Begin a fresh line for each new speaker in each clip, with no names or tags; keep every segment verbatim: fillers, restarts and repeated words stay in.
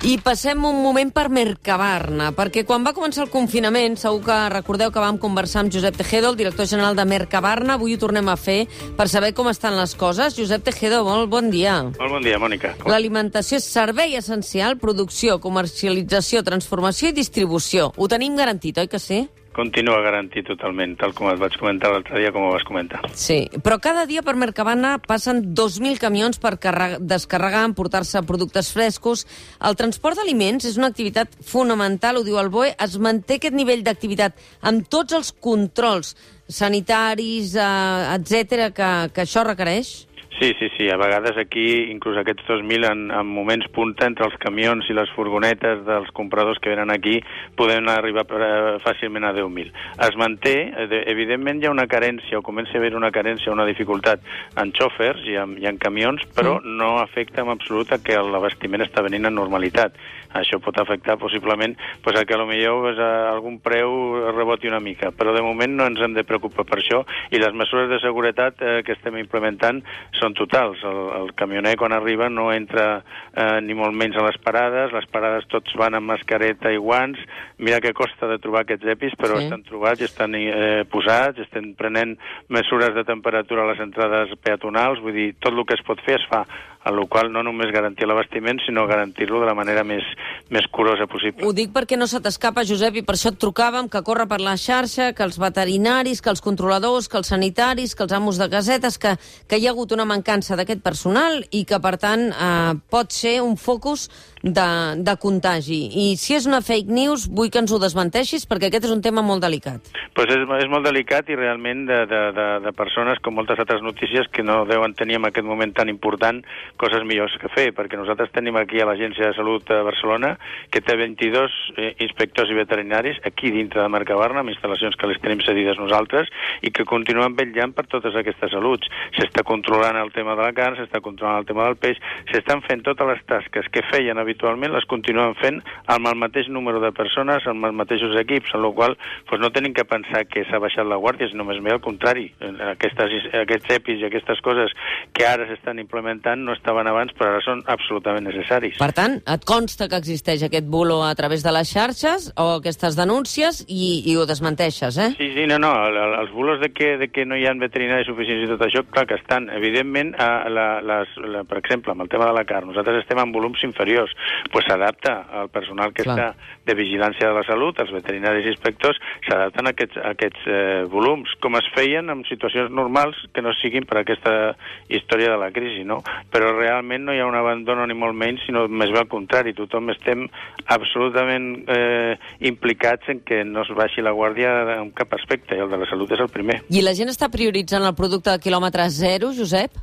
I passem un moment per Mercabarna, perquè quan va començar el confinament, segur que recordeu que vam conversar amb Josep Tejedo, el director general de Mercabarna. Avui ho tornem a fer per saber com estan les coses. Josep Tejedo, molt bon dia.
Molt bon dia, Mònica.
L'alimentació és servei essencial, producció, comercialització, transformació i distribució. Ho tenim garantit, oi que sí?
Continua garantit totalment, tal com et vaig comentar l'altre dia, com ho vas comentar.
Sí, però cada dia per Mercabarna passen dos mil camions per descarregar, emportar-se productes frescos. El transport d'aliments és una activitat fonamental, ho diu el B O E. Es manté aquest nivell d'activitat amb tots els controls sanitaris, eh, etcètera, que, que això requereix?
Sí, sí, sí. A vegades aquí, inclús aquests dos mil, en, en moments punta, entre els camions i les furgonetes dels compradors que venen aquí, podem arribar eh, fàcilment a deu mil. Es manté, eh, evidentment hi ha una carència, o comença a haver una carència, una dificultat en xòfers i en, i en camions, però sí. No afecta en absolut a que l'abastiment està venint en normalitat. Això pot afectar possiblement pues, a que potser pues, a algun preu reboti una mica, però de moment no ens hem de preocupar per això i les mesures de seguretat eh, que estem implementant són totals. El, el camioner quan arriba no entra eh, ni molt menys a les parades, les parades tots van amb mascareta i guants. Mira que costa de trobar aquests EPIs, però sí. Estan trobats, estan eh, posats, estem prenent mesures de temperatura a les entrades peatonals, vull dir, tot el que es pot fer es fa, a la qual no només garantir l'abastiment, sinó garantir-lo de la manera més, més curosa possible.
Ho dic perquè no se t'escapa, Josep, i per això et trucàvem, que corre per la xarxa, que els veterinaris, que els controladors, que els sanitaris, que els amos de casetes, que, que hi ha hagut una mancança d'aquest personal i que, per tant, eh, pot ser un focus de, de contagi. I si és una fake news, vull que ens ho desmenteixis, perquè aquest és un tema molt delicat.
Pues és, és molt delicat i realment de, de, de, de persones, com moltes altres notícies, que no deuen tenir en aquest moment tan important coses millors que fer, perquè nosaltres tenim aquí a l'Agència de Salut de Barcelona, que té vint-i-dos eh, inspectors i veterinaris aquí dintre de Mercabarna, amb instal·lacions que les tenim cedides nosaltres, i que continuen vetllant per totes aquestes saluts. S'està controlant el tema de la carn, s'està controlant el tema del peix, s'estan fent totes les tasques que feien habitualment, les continuen fent amb el mateix número de persones, amb els mateixos equips, en la qual pues, no tenim que pensar que s'ha baixat la guàrdia, sinó més bé al contrari. Aquestes, aquests EPIs i aquestes coses que ara s'estan implementant no estaven abans, però ara són absolutament necessaris.
Per tant, et consta que existeix aquest bulo a través de les xarxes o aquestes denúncies i, i ho desmenteixes, eh?
Sí, sí, no, no. El, el, els bulos de que, de que no hi ha veterinaris suficients i tot això, clar que estan. Evidentment, a la, les, la, per exemple, amb el tema de la carn, nosaltres estem en volums inferiors, pues s'adapta al personal que clar. Està de vigilància de la salut, els veterinaris i inspectors, s'adapten a aquests, a aquests eh, volums, com es feien en situacions normals que no siguin per aquesta història de la crisi, no? Però realment no hi ha un abandono ni molt menys, sinó més bé al contrari. Tothom estem absolutament eh, implicats en que no es baixi la guàrdia en cap aspecte, i el de la salut és el primer.
I la gent està prioritzant el producte de quilòmetre zero, Josep?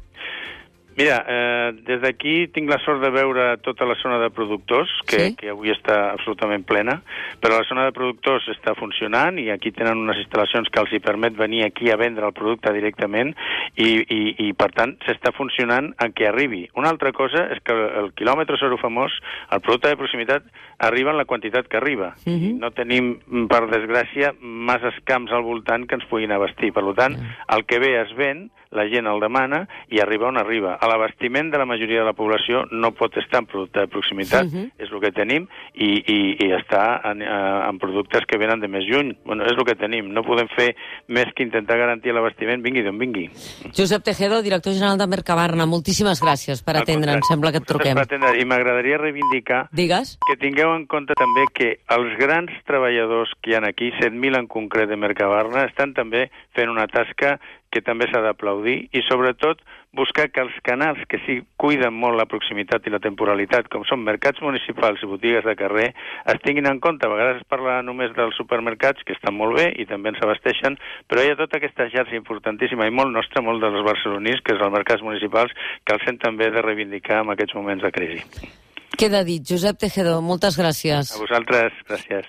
Mira, eh, des d'aquí tinc la sort de veure tota la zona de productors, que, sí? que avui està absolutament plena, però la zona de productors està funcionant i aquí tenen unes instal·lacions que els hi permet venir aquí a vendre el producte directament i, i, i per tant, s'està funcionant en què arribi. Una altra cosa és que el, el quilòmetre zero famós, el producte de proximitat, arriba en la quantitat que arriba. Uh-huh. No tenim, per desgràcia, masses camps al voltant que ens puguin abastir. Per tant, el que ve es ven, la gent el demana i arriba on arriba. A l'abastiment de la majoria de la població no pot estar en producte de proximitat, uh-huh. és el que tenim, i, i, i està en, en productes que venen de més lluny. Bueno, és el que tenim. No podem fer més que intentar garantir l'abastiment, vingui d'on vingui.
Josep Tejedo, director general de Mercabarna, moltíssimes gràcies per atendre'ns. Sembla que et truquem.
I m'agradaria reivindicar
Digues.
que tingueu en compte també que els grans treballadors que hi ha aquí, set mil en concret de Mercabarna, estan també fent una tasca que també s'ha d'aplaudir i, sobretot, buscar que els canals que sí cuiden molt la proximitat i la temporalitat, com són mercats municipals i botigues de carrer, es tinguin en compte. A vegades es parla només dels supermercats, que estan molt bé i també ens abasteixen, però hi ha tota aquesta xarxa importantíssima i molt nostra, molt dels barcelonins, que és els mercats municipals, que els hem també de reivindicar en aquests moments de crisi.
Queda dit. Josep Tejedo, moltes gràcies.
A vosaltres, gràcies.